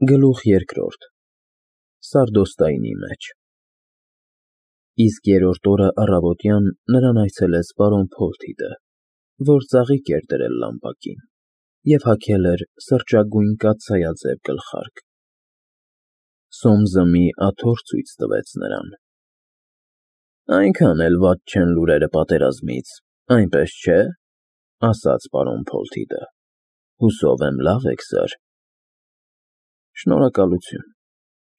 Գլուխ երկրորդ Սարդոստայնի մեջ Իսկ երրորդ օրը առավոտյան նրան այցելեց պարոն Փոլթիդը, որ ծաղիկ էր դրել լամպակին և հագել էր սրճագույն կաթսայաձև գլխարկ։ Սոմսը մի աթոռ ցույց տվեց նրան։ Այնքան էլ վատ չեն լուրերը պատերազմից, այնպես չէ, ասաց պարոն Փոլթիդը, հուսով եմ լավ եք, սըր։ Շնորհակալություն,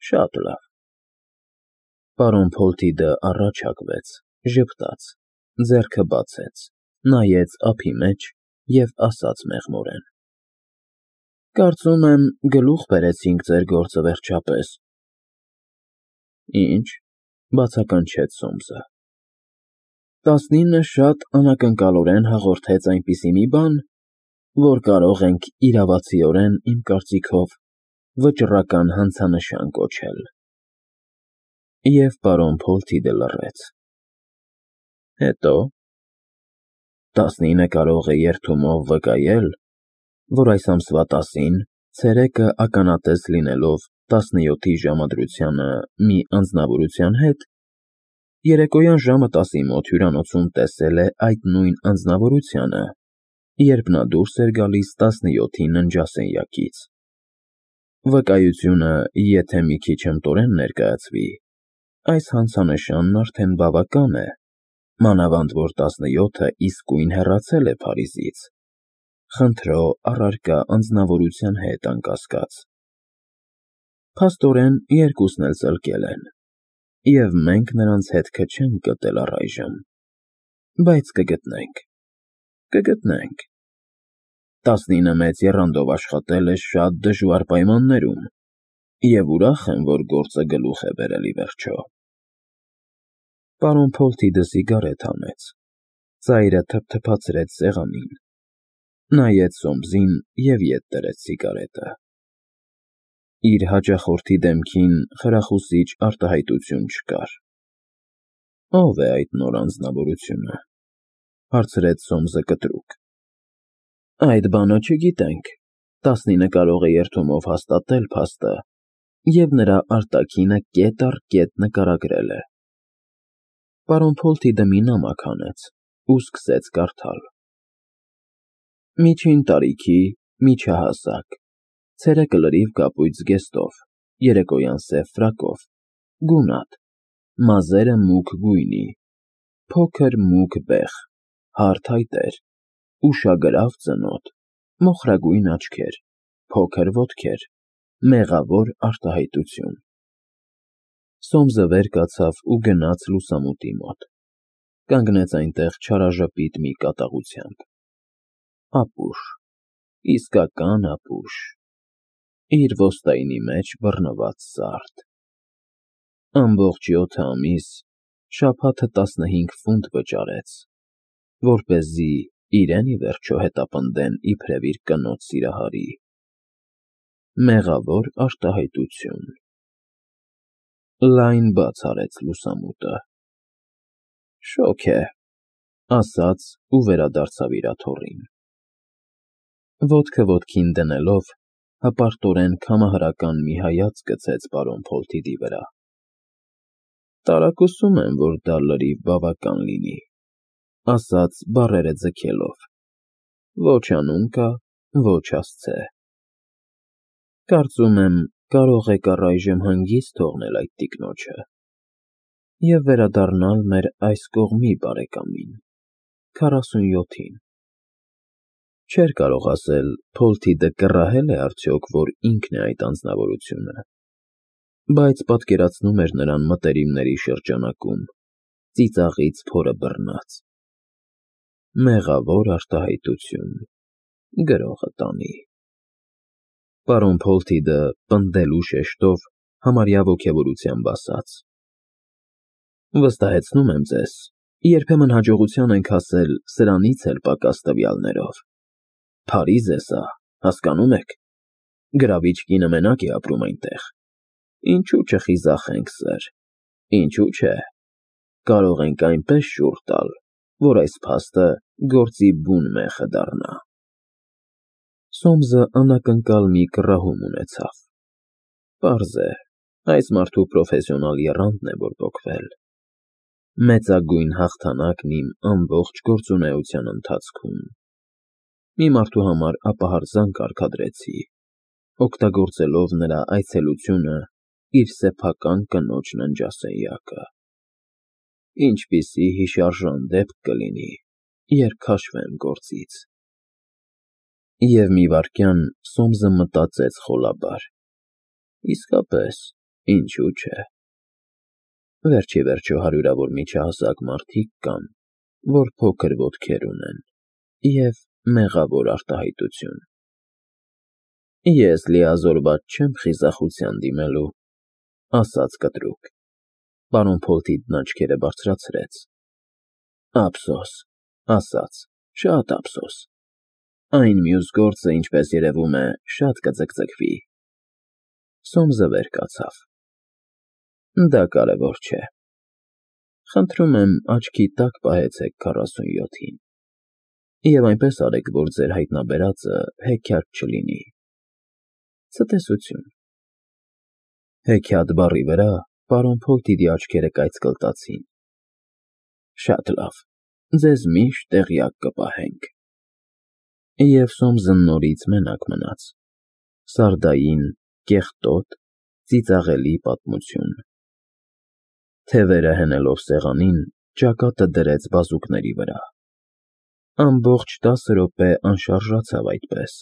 շատ լավ։ Պարոն Փոլթիդը առաջ հագվեց, ժպտաց, ձեռքը բացեց, նայեց ափի մեջ և ասաց մեղմորեն. Կարծում եմ գլուխ բերեցինք ձեր գործը վերջապես։ Ինչ, բացականչեց Սոմսը։ 19-ը շատ անակնկալորեն հաղորդեց այնպիսի մի բան, որ կարող ենք իրավացիորեն, իմ կարծիքով, վճռական հանցանշան կոչել։ Եվ պարոն Փոլթիդը լռեց։ Հետո 19-ը կարող է երդումով վկայել, որ այս ամսվա 10-ին, ցերեկը ականատես լինելով 17-ի ժամադրությանը մի անձնավորության հետ, երեկոյան ժամը 10-ի մոտ հյուրանոցում տեսել է այդ նույն անձնավորությանը, երբ նա դուրս էր գալիս 17-ի ննջասենյակից։ Վկայությունը, եթե մի քիչ հմտորեն ներկայացվի, այս հանցանշանն արդեն բավական է, մանավանդ որ 17-ը իսկույն հեռացել է Փարիզից, խնդրո առարկա անձնավորության հետ անկասկած։ Փաստորեն երկուսն էլ ծլկել են, և մենք նրանց հետքը չենք գտել առայժմ, բայց կգտնենք։ 19-ը մեծ եռանդով աշխատել է շատ դժվար պայմաններում, և ուրախ եմ, որ գործը գլուխ է բերել ի վերջո։ Պարոն Փոլթիդը սիգարետ հանեց, ծայրը թփթփացրեց սեղանին, նայեց Սոմսին և ետ դրեց սիգարետը։ Իր հաճախորդի դեմքին խրախուսիչ արտահայտություն չկար։ Ո՞վ է այդ նոր անձնավորությունը, հարցրեց Սոմսը կտրուկ։ Այդ բանը չգիտենք, 19-ը կարող է երդումով հաստատել փաստը, և նրա արտաքինը կետ առ կետ նկարագրել է։ Պարոն Փոլթիդը մի նամակ հանեց ու սկսեց կարդալ. Միջին տարիքի, միջահասակ, ցերեկը լրիվ կապույտ զգեստով, երեկոյան սև ֆրակով, գունատ, մազերը մուգ գույնի, փոքր մուգ բեղ, հարթ այտեր, ուշագրավ ծնոտ, մոխրագույն աչքեր, փոքր ոտքեր, մեղավոր արտահայտություն։ Սոմսը վեր կացավ ու գնաց լուսամուտի մոտ, կանգնեց այնտեղ չարաժպիտ մի կատաղությամբ։ Ապուշ, իսկական ապուշ, իր ոստայնի մեջ բռնված սարդ։ Ամբողջ 7 ամիս, շաբաթը 15 ֆունտ վճարեց, որպեսզի իրեն ի վերջո հետապնդեն իբրև իր կնոջ սիրահարի։ Մեղավոր արտահայտություն։ Լայն բաց արեց լուսամուտը։ Շոգ է, ասաց ու վերադարձավ իր աթոռին։ Ոտքը ոտքին դնելով, հպարտորեն քամահարական մի հայացք գցեց պարոն Փոլթիդի վրա։ Տարակուսում եմ, որ դա լրիվ բավական լինի, ասաց բառերը ձգելով։ Ոչ անուն կա, ոչ հասցե։ Կարծում եմ, կարող եք առայժմ հանգիստ թողնել այդ տիկնոջը և վերադառնալ մեր այս կողմի բարեկամին, 47-ին։ Չէր կարող ասել Փոլթիդը կռահել է արդյոք, որ ինքն է այդ անձնավորությունը, բայց պատկերացնում էր նրան մտերիմների շրջանակում, ծիծաղից փորը բռնած։ Մեղավոր արտահայտություն, գրողը տանի։ Պարոն Փոլթիդը պնդելու շեշտով համարյա ոգևորությամբ ասաց. Վստահեցնում եմ ձեզ, երբեմն հաջողության ենք հասել սրանից էլ պակաս տվյալներով։ Փարիզ է սա, հասկանում եք։ Գրավիչ կինը մենակ է ապրում այնտեղ։ Ինչու չխիզախենք, սըր, ինչու՞ չէ։ Կարող ենք այնպես շուռ տալ, որ այս փաստը գործի բուն մեխը դառնա։ Սոմսը անակնկալ մի կռահում ունեցավ։ Պարզ է, այս մարդու պրոֆեսիոնալ եռանդն է բորբոքվել։ Մեծագույն հաղթանակն իմ ամբողջ գործունեության ընթացքում։ Մի մարդու համար ապահարզան կարգադրեցի, օգտագործելով նրա այցելությունը իր սեփական կնոջ ննջասենյակը։ Ինչպիսի հիշարժան դեպք կլինի, երբ քաշվեմ գործից։ Եվ մի վայրկյան Սոմսը մտածեց խոլաբար. իսկապես, ինչու՞ չէ։ Վերջ-ի-վերջո հարյուրավոր միջահասակ մարդիկ կան, որ փոքր ոտքեր ունեն և մեղավոր արտահայտություն։ Ես լիազորված չեմ խիզախության դիմելու, ասաց կտրուկ։ Պարոն Փոլթիդն աչքերը բարձրացրեց։ Ափսոս, ասաց, շատ ափսոս։ Այն մյուս գործը, ինչպես երևում է, շատ կձգձգվի։ Սոմսը վեր կացավ։ Դա կարևոր չէ։ Խնդրում եմ աչքի տակ պահեցեք 47-ին։ Եվ այնպես արեք, որ ձեր հայտնաբերածը հեքիաթ չլինի։ Ցտեսություն։ Հեքիաթ բառի վրա պարոն Փոլթիդի աչքերը կայծկլտացին։ Շատ լավ, ձեզ միշտ տեղյակ կպահենք։ Եվ Սոմսը նորից մենակ մնաց։ Սարդային, կեղտոտ, ծիծաղելի պատմություն։ Թևերը հենելով սեղանին, ճակատը դրեց բազուկների վրա։ Ամբողջ 10 րոպե անշարժացավ այդպես,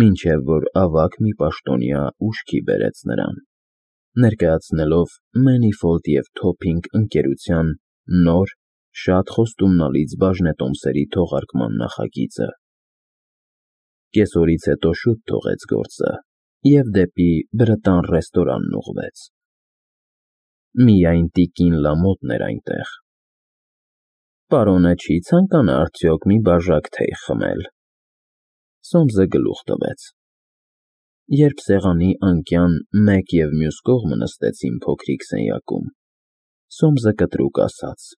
մինչև որ ավագ մի պաշտոնյա ուշքի բերեց նրան, ներկայացնելով Մենիֆոլդ և Թոփինգ ընկերության նոր, շատ խոստումնալից բաժնետոմսերի թողարկման նախագիծը։ Կեսօրից հետո շուտ թողեց գործը և դեպի Բրտան ռեստորանն ուղղվեց։ Միայն տիկին Լամոթն էր այնտեղ։ Պարոնը չի ցանկանա արդյոք մի բաժակ թեյ խմել։ Սոմսը գլուխ տվեց։ Երբ սեղանի անկյան մեկ և մյուս կողմը նստեցին փոքրիկ սենյակում, Սոմսը կտրուկ ասաց.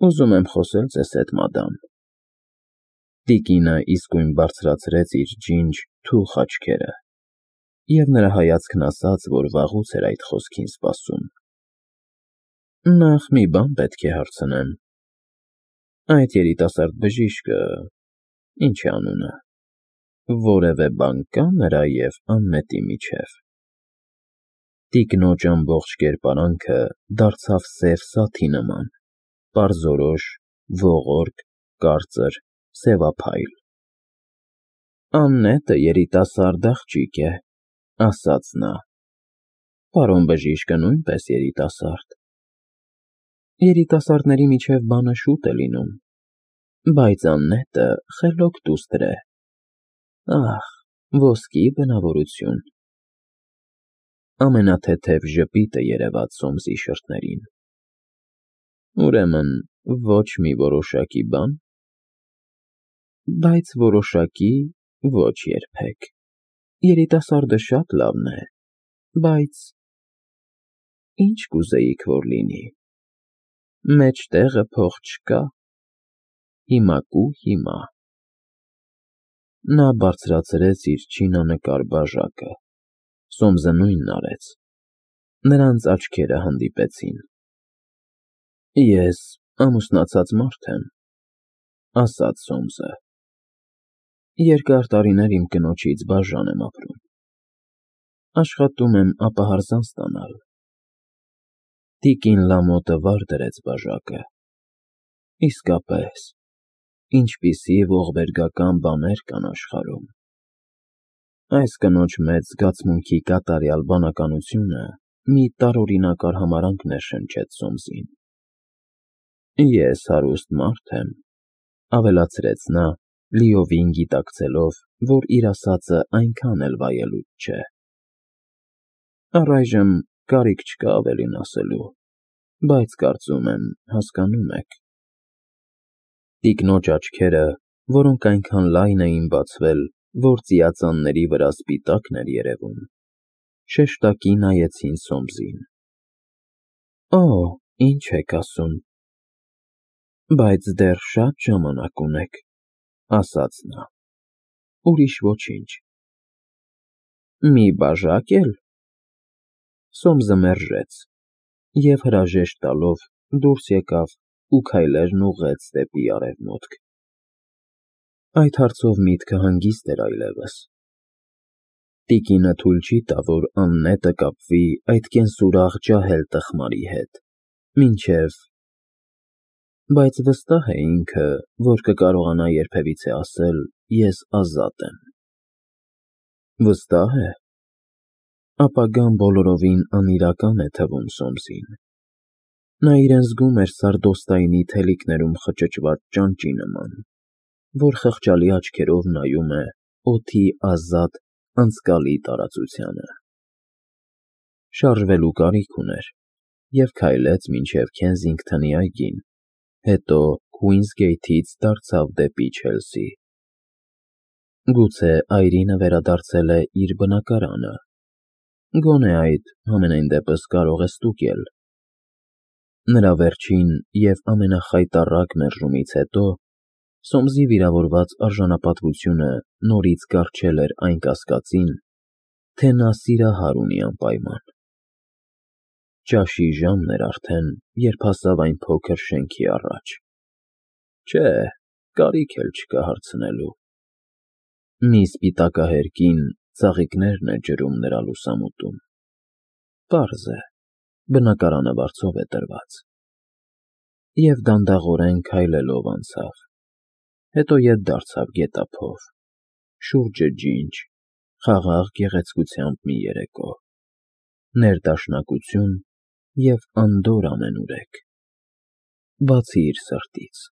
Ուզում եմ խոսել ձեզ հետ, մադամ։ Տիկինը իսկույն բարձրացրեց իր ջինջ, թուխ աչքերը, և նրա հայացքն ասաց, որ վաղուց էր այդ խոսքին սպասում։ Նախ մի բան պետք է հարցնեմ. այդ երիտասարդ բժիշկը, ինչ է անունը, որևէ բան կա նրա և անմետի միջև։ Տիկնոջ ամբողջ կերպարանքը դարձավ սև սաթի նման, պարզորոշ, ողորկ, կարծր, սևափայլ։ Աննետը երիտասարդ աղջիկ է, ասաց նա։ Պարոն բժիշկը նույնպես երիտասարդ։ Երիտասարդների միջև բանը շուտ է լինում, բայց Աննետը խելոք դուստր է։ Ահ, ոսկի բնավորություն։ Ամենաթեթև ժպիտը երևաց Սոմսի շրթերին։ Ուրեմն, ոչ մի որոշակի բան։ Բայց որոշակի ոչ երբեք։ Երիտասարդը շատ լավն է, բայց… Ինչ կուզեիք, որ լինի։ Մեջտեղը փող չկա։ Հիմա կու հիմա։ Նա բարձրացրեց իր չինանկար բաժակը։ Սոմսը նույնն արեց։ Նրանց աչքերը հանդիպեցին։ Ես ամուսնացած մարդ եմ, ասաց Սոմսը։ Երկար տարիներ իմ կնոջից բաժան եմ ապրում։ Աշխատում եմ ապահարզան ստանալ։ Տիկին Լամոթը վար դրեց բաժակը։ Իսկապես, ինչպիսի ողբերգական բաներ կան աշխարհում։ Այս կնոջ մեծ զգացմունքի կատարյալ բանականությունը մի տարօրինակար համարանք ներշնչեց Սոմսին։ Ես հարուստ մարդ եմ, ավելացրեց նա, լիովին գիտակցելով, որ իր ասածը այնքան էլ վայելուչ չէ։ Առայժմ կարիք չկա ավելին ասելու, բայց կարծում եմ, հասկանում եք։ Տիկնոջ աչքերը, որոնք այնքան լայն էին բացվել, որ ծիածանների վրա սպիտակն էր երևում, շեշտակի նայեցին Սոմսին։ Օ, ինչ եք ասում։ Բայց դեռ շատ ժամանակ ունեք, ասաց նա։ Ուրիշ ոչինչ։ Մի բաժակ էլ, Սոմսը մերժեց և հրաժեշտ տալով դուրս եկավ ու քայլերն ուղղեց դեպի արևմուտք։ Այդ հարցով միտքը հանգիստ էր այլևս։ Տիկինը թույլ չի տա, որ աննետը կապվի այդ կենսուրախ ջահել տխմարի հետ, մինչև… Բայց վստահ է ինքը, որ կկարողանա երբևիցե ասել «ես ազատ եմ»։ Վստահ է։ Ապագան բոլորովին անիրական է թվում Սոմսին։ Նա իրեն զգում էր սարդոստայնի թելիկներում խճճված ճանճի նման, որ խղճալի աչքերով նայում է օդի ազատ, անցկալի տարածությանը։ Շարժվելու կարիք ուներ և քայլեց մինչև Քենսինգթոնի այգին, հետո Քուինսգեյթից դարձավ դեպի Չելսի։ Գուցե այրինը վերադարձել է իր բնակարանը, գոնե այդ համենայն դեպս կարող է ստուգել։ Նրա վերջին և ամենախայտառակ մերժումից հետո Սոմսի վիրավորված արժանապատվությունը նորից կառչել էր այն կասկածին, թե նա սիրահար ունի անպայման։ Ճաշի ժամն էր արդեն, երբ հասավ այն փոքր շենքի առաջ։ Չէ, կարիք էլ չկա հարցնելու։ Մի սպիտակահեր կին ծաղիկներն է ջրում նրա լուսամուտում։ Պարզ է, բնակարանը վարձով է տրված։ Եվ դանդաղորեն քայլելով անցավ, հետո ետ դարձավ գետափով, շուրջը ջինջ, խաղաղ գեղեցկությամբ մի երեկո, ներդաշնակություն և անդորր ամենուրեք, բացի իր սրտից։